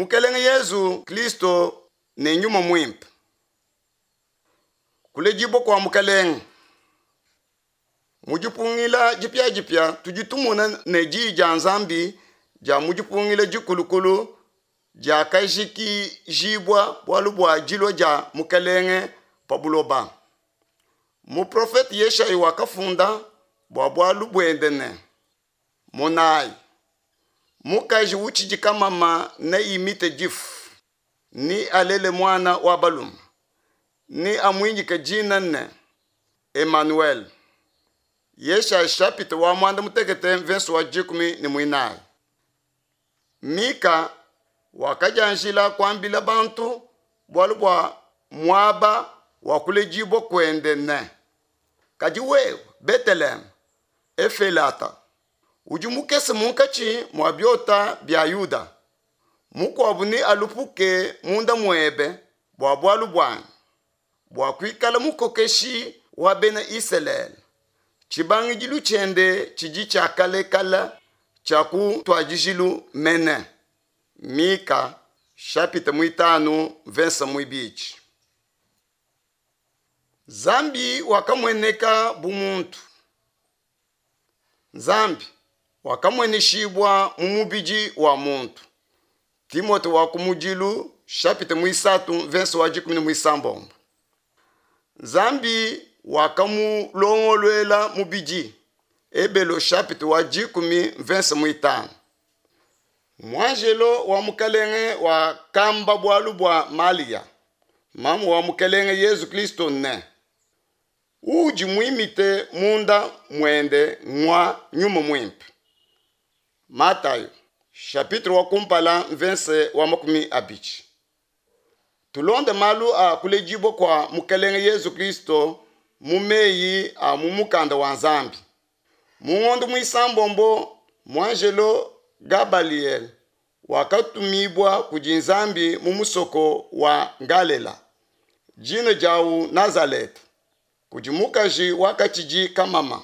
Mukelenge Yezu Kristo ne Nyuma Muimpe. Kuledibua kua Mukelenge. Mu dipungila dipiadipia tudi tumona ne Diyi dia Nzambi dia mu dipungila dikulukulu diakajikijibua bualu bua dilua dia Mukelenge pa buloba. Muprofete Yeshayi wakafunda bua bualu buende ne, Monayi, mukaji utshidi kamama neimite difu, nealele muana wa balume, neamuinyike dina ne, Emanuele. Yeshaya chapitre wa muanda mutekete mvese wa 14. Mika wakadianjila kuambila bantu bualu bua muaba wa kuledibua kuende ne, Kadi wewe, Beteleheme Efelata, udi mukese munkatshi mua biota bia Yuda, mukuabu nealupuke munda muebe bua bualu buanyi, bua kuikala mukokeshi wa bena Isalele. Tshibangidilu tshiende tshidi tshia kale kale, tshia ku ntuadijilu mene. Mika chapitre muitanu mvese muibidi. Nzambi wakamueneka bu muntu. Nzambi wakamueneshibua mu mubidi wa muntu. Timote wa kumudilu chapitre muisatu mvese wa 16. Nzambi wakamulongoluela mubidi. Ebelo chapitre wa 10 mvese muitanu. Muanjelo wa Mukelenge wakamba bualu bua Malia, mamu wa Mukelenge Yezu Kristo ne, udi muimite munda muende ngua Nyuma Muimpe. Matayo chapitre wa kumpala mvese wa 20. Tulonde malu a kuledibua kua Mukelenge Yezu Kristo mu meyi a mu mukanda wa Nzambi. Mu ngondo muisambombo muanjelo Gabaliel wakatumibua kudi Nzambi mu musoko wa Galela, dina diawu Nazaleta, kudi mukaji wakatshidi kamama,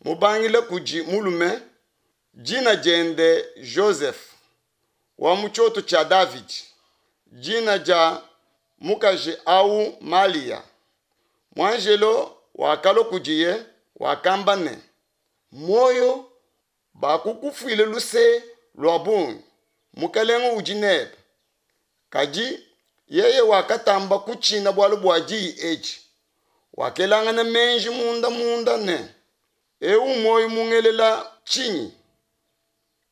mubangila kudi mulume, dina diende Joseph, wa mu tshioto tshia Davidi, dina dia mukaji au Malia. Muanjelo wakalua kudiye wakamba ne, Muoyo, bakukufuile luse lua bungi, Mukelenge udi nebe. Kadi yeye wakatamba kutshina bualu bua diyi edi, wakelangana meji munda munda ne, eu muoyo mungelela tshinyi?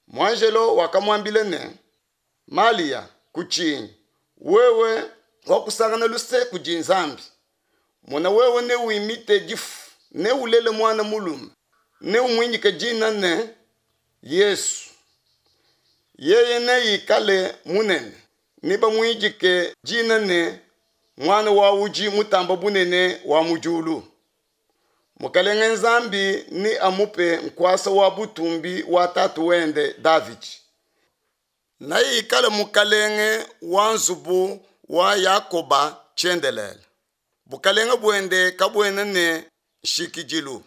Muanjelo wakamuambila ne, Malia, kutshinyi, wewe wakusangana luse kudi Nzambi. Mona, wewe newimite difu, neulele muana mulume, neumuinyike dina ne Yesu. Yeye neikale munene, nebamuidike dina ne Muana wa udi mutamba bunene wa mu diulu. Mukelenge Nzambi neamupe nkuasa wa butumbi wa tatu wende Davidi. Neikale mukalenge wa nzubu wa Yakoba tshiendelele. Bukalenge buende kabuena ne nshikidilu.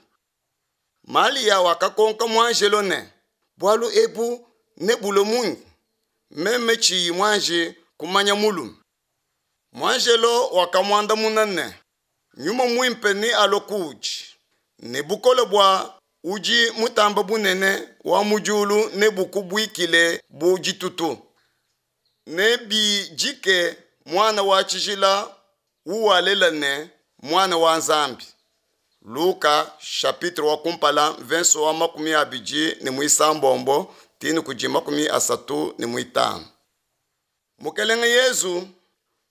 Malia wakakonka muanjelo ne, bualu ebu nebulue munyi, meme tshiyi muanji kumanya mulume? Muanjelo wakamuandamuna ne, Nyuma Muimpe nealue kuudi, ne bukole bua udi mutamba bunene wa mu diulu nebukubuikile bu ditutu. Nebijike muana wa tshijila uwalela ne Muana wa Nzambi. Luka chapitre wa kumpala mvese wa 26 tinu kudi 35. Mukelenge Yezu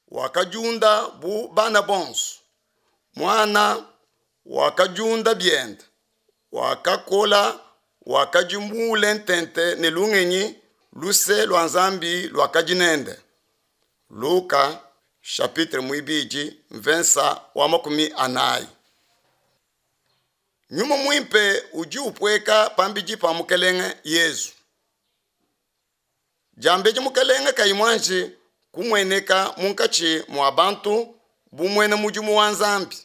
wakadiunda bu bana bonso. Muana wakadiunda biende, wakakola, wakadi muule ntente ne lungenyi, luse lua Nzambi luakadi nende. Luka chapitre muibidi mvese wa 40. Nyuma Muimpe udi upueka pambidi pa Mukelenge Yezu. Diambedi Mukelenge kayi muanji kumueneka munkatshi mua bantu bu muena mudimu wa Nzambi.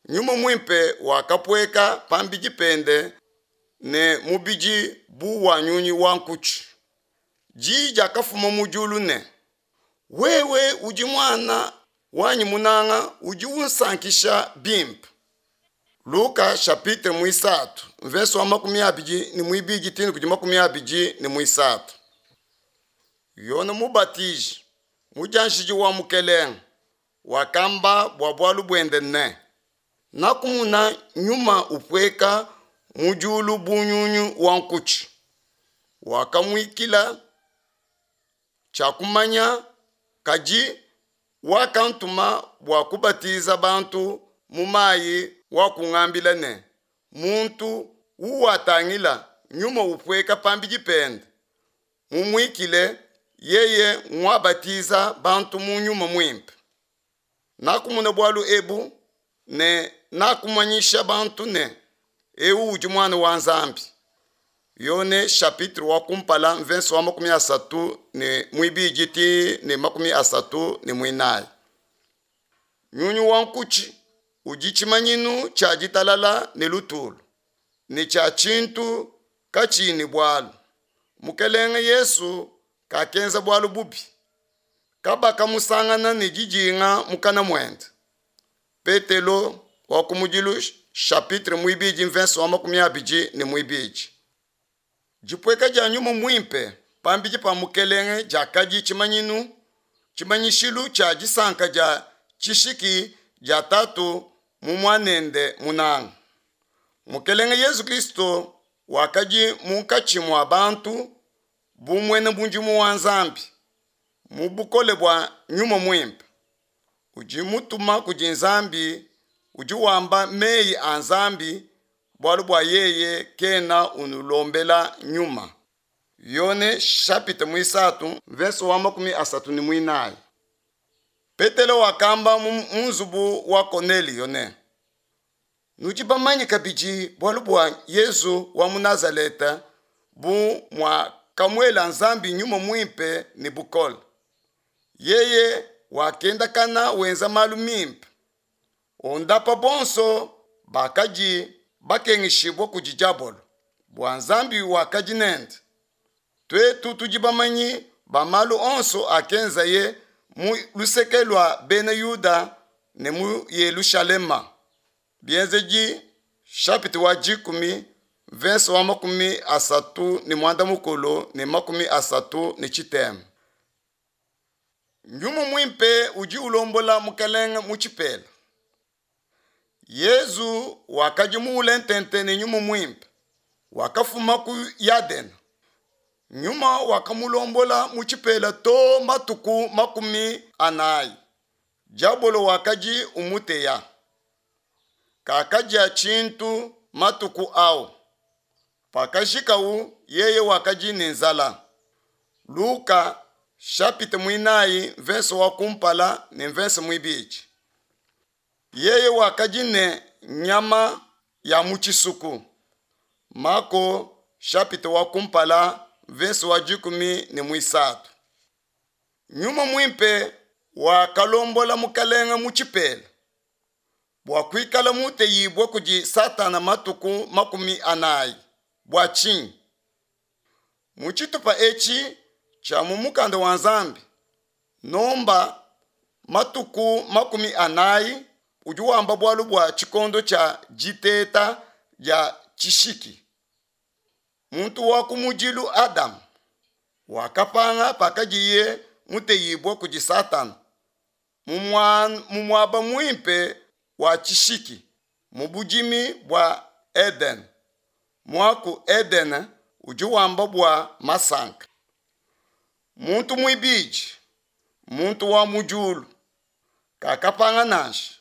Nyuma Muimpe wakapueka pambidi pende ne mubidi bu wa nyunyi wa nkutshi. Diyi diakafuma mu diulu ne, Wewe udi Muana wanyi munanga udi unsankisha bimpe. Luka chapitre muisatu mvese wa 22 too ne kudi 23. Yone Mubatiji, mudianjidi wa Mukelenge, wakamba bua bualu buende ne, Nakumona Nyuma upueka mu diulu bu nyunyu wa nkutshi, wakamuikila, tshiakumanya, kadi wakantuma bua kubatiza bantu mu mayi wakungambila ne, Muntu uwatangila Nyuma upueka pambidi pende, mumuikile, yeye nguabatiza bantu mu Nyuma Muimpe. Nakumona bualu ebu ne nakumanyisha bantu ne, Eu udi Muana wa Nzambi. Yone chapitre wa kumpala mvese wa 32 too ne 34. Nyunyu wa nkutshi udi tshimanyinu tshia ditalala ne lutulu, ne tshia tshintu katshiyi ne bualu. Mukelenge Yesu kakenza bualu bubi, kabakamusangana ne didinga mukana muende. Petelo wa kumudilu chapitre muibidi mvese wa 22. Dipueka dia Nyuma Muimpe pambidi pa Mukelenge diakadi tshimanyinu, tshimanyishilu tshia disanka dia tshishiki dia Tatu mu Muanende munanga. Mukelenge Yesu Kilisto wakadi munkatshi mua bantu bu muena mudimu wa Nzambi, mu bukole bua Nyuma Muimpe. Udi mutuma kudi Nzambi, udi wamba meyi a Nzambi, bualu bua yeye kena unulombela Nyuma. Yone chapitre muisatu mvese wa 34. Petelo wakamba mu nzubu wa Konelio ne, Nudi bamanye kabidi bualu bua Yezu wa mu Nazaleta, bu muakamuela Nzambi Nyuma Muimpe ne bukole. Yeye wakendakana wenza malu mimpe, ondapa bonso bakadi bakengeshibua kudi diabolo, bua Nzambi wakadi nende. Tuetu tudi bamanyi ba malu onso akenzaye mu luseke lua Bena Yuda ne mu Yelushalema. Bienzedi chapitre wa dikumi mvese wa 35 ne 33. Nyuma Muimpe udi ulombola Mukelenge mu tshipela. Yezu wakadi muule ntente ne Nyuma Muimpe, wakafuma ku Yadena. Nyuma wakamulombola mu tshipela to matuku 40. Diabolo wakadi umuteya. Kakadia tshintu matuku au. Pakajikawu, yeye wakadi ne nzala. Luka chapitre muinayi mvese wa kumpala ne mvese muibidi. Yeye wakadi ne nyama ya mu tshisuku. Mako chapitre wa kumpala mvese wa 13. Nyuma Muimpe wakalombola Mukelenge mu tshipela bua kuikala muteyibue kudi Satana matuku 40. Bua tshinyi? Mu tshitupa etshi tshia mu Mukanda wa Nzambi, nomba matuku 40 udi wamba bualu bua tshikondo tshia diteta dia tshishiki. Muntu wa kumudilu Adama wakapanga pakadiye muteyibue kudi Satana mu muaba muimpe wa tshishiki mu budimi bua Edene. Muaku Edene udi wamba bua masanka. Muntu muibidi, muntu wa mu diulu, kakapanga nansha.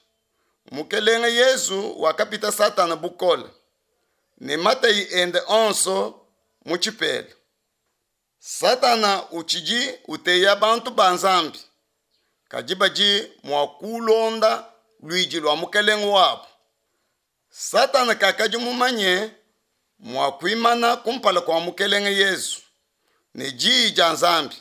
Mukelenge Yezu wakapita Satana bukole ne mateyi ende onso mu tshipela. Satana utshidi uteya bantu ba Nzambi, kadi badi mua kulonda luidi lua Mukelenge wabu. Satana kakadi mumanye mua kuimana kumpala kua Mukelenge Yezu ne diyi dia Nzambi.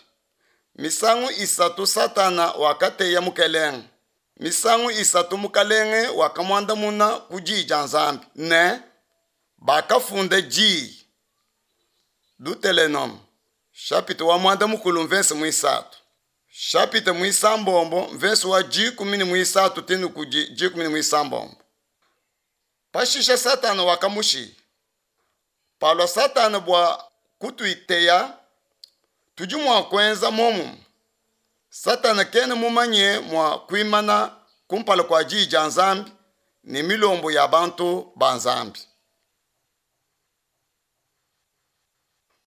Misangu isatu Satana wakateya Mukelenge. Misangu isatu Mukelenge wakamuandamuna ku diyi dia Nzambi ne, bakafunda diyi. Deuteronome. Shapita wa muanda mukulu mvese muisatu. Shapita muisambombo mvese wa dikumi ne muisatu tene kudi dikumi ne muisambombo. Pashishe Satana wakamushiya. Palua Satana bua kutuiteya, tudi mua kuenza muomumue. Satana kena mumanye mua kuimana kumpala kua Diyi dia Nzambi ne milombo ya bantu ba Nzambi.